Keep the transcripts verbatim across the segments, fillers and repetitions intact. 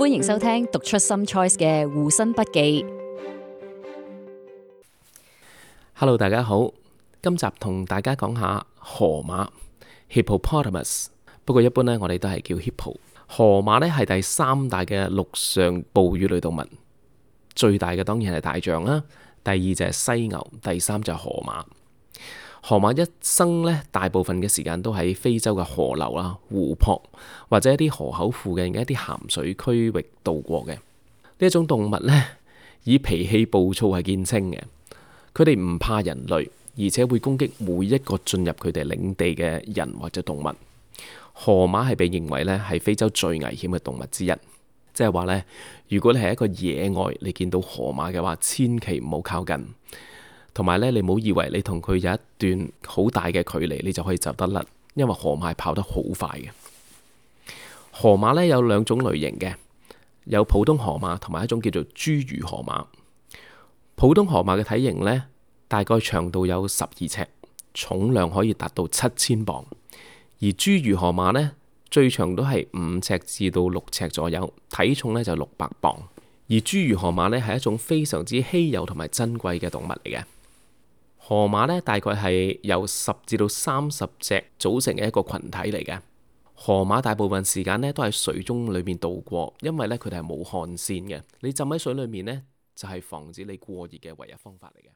歡迎收聽讀出 Some Choice 嘅護身筆記。Hello， 大家好，今集同大家講下河馬 Hippopotamus， 不過一般呢，我哋都係叫 Hippo。河馬呢係第三大嘅陸上哺乳類動物，最大嘅當然係大象啦，第二就係犀牛，第三就係河馬。河馬一生呢，大部分嘅時間都喺非洲嘅河流啦、湖泊或者一啲河口附近嘅一啲鹹水區域度過嘅。呢一種動物呢，以脾氣暴躁係見稱嘅。佢哋唔怕人類，而且會攻擊每一個進入佢哋領地嘅人或者動物。河馬係被認為呢係非洲最危險嘅動物之一，即係話呢，如果你係一個野外你見到河馬嘅話，千祈唔好靠近。同埋咧，你唔好以為你同佢有一段好大嘅距離，你就可以走得甩，因為河馬係跑得好快嘅。河馬咧有兩種類型嘅，有普通河馬同埋一種叫做侏儒河馬。普通河馬嘅體型呢，大概長度有十二尺，重量可以達到七千磅；而侏儒河馬呢，最長都係五尺至到六尺左右，體重呢就六百磅。而侏儒河馬呢，係一種非常之稀有同埋珍貴嘅動物嚟嘅。河馬呢，大概係由十至到三十隻組成嘅一個群體嚟嘅。河馬大部分時間呢都喺水中裏面度過，因為呢，佢哋係冇汗腺嘅。你浸喺水裏面呢，就係防止你過熱嘅唯一方法嚟嘅。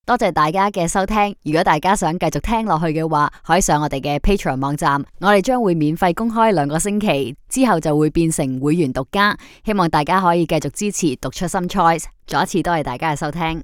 多謝大家嘅收聽。如果大家想繼續聽落去嘅話，可以上我哋嘅 Patreon 網站，我哋將會免費公開兩個星期，之後就會變成會員獨家。希望大家可以繼續支持讀出 Some Choice。再一次多謝大家嘅收聽。